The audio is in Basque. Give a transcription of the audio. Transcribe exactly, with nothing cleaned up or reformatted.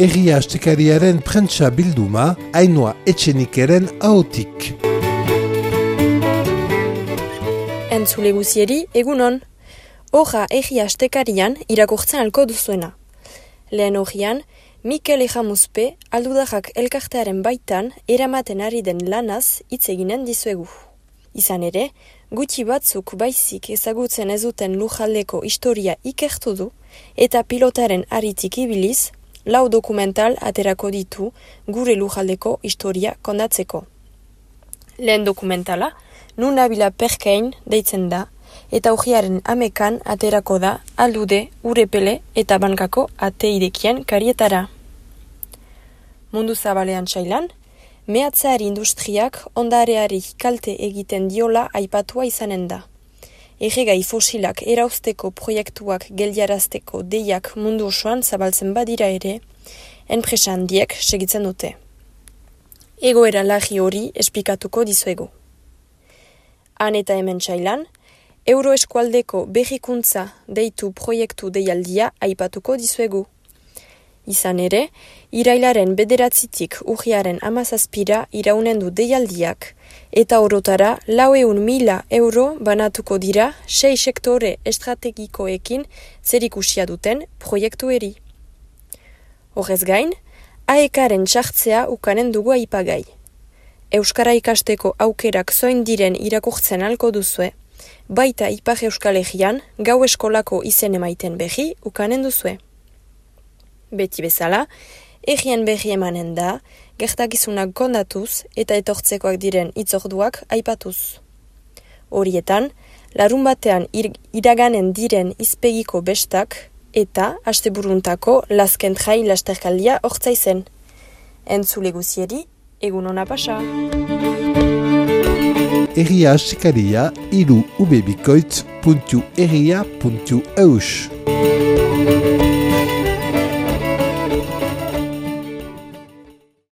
Egia astekariaren prentsa bilduma, Ainhoa Etxenikeren ahotik. Entzule guzieri, egunon. Hoja egia astekarian irakurtzen alko duzuena. Lehen hogian, Mikel Ejamuzpe aldudajak elkartearen baitan eramaten ari den lanaz hitz eginen dizuegu. Izan ere, gutxi batzuk baizik ezagutzen ez duten lujaldeko historia ikertu du eta pilotaren aritik ibiliz, lau dokumental aterako ditu gure lujaldeko historia kondatzeko. Lehen dokumentala, Nunabila Perkein deitzen da, eta ujiaren amekan aterako da Aldude, Urepele eta Bankako ate irekien karietara. Mundu zabalean txailan, mehatzeari industriak ondareari kalte egiten diola aipatua izanen da. Erregai fosilak erauzteko proiektuak geldiarazteko deiak mundu osoan zabaltzen badira ere, enpresa handiek segitzen dute. Egoera larri hori esplikatuko dizuegu. Han eta hemen txailan, Euroeskualdeko berrikuntza deitu proiektu deialdia aipatuko dizuegu. Izan ere, irailaren bederatzitik urriaren amazazpira iraunen du deialdiak, eta orotara laueun mila euro banatuko dira sei sektore estrategikoekin zerikusia duten proiektueri. Horrez gain, aekaren txartzea ukanen dugu aipagai. Euskara ikasteko aukerak zoin diren irakurtzen alko duzue, baita Ipar Euskal Herrian gau eskolako izen emaiten berri ukanen duzue. Beti bezala, errien berri emanen da, gertakizunak kondatuz eta etortzekoak diren itzorduak aipatuz. Horietan, larun batean ir, iraganen diren izpegiko bestak eta asteburuntako lasken jai lasterkaldia hortzaizen. Entzule guzieri, egun hona pasa! Egia astekaria iru ubebikoitz puntu egia puntu eus.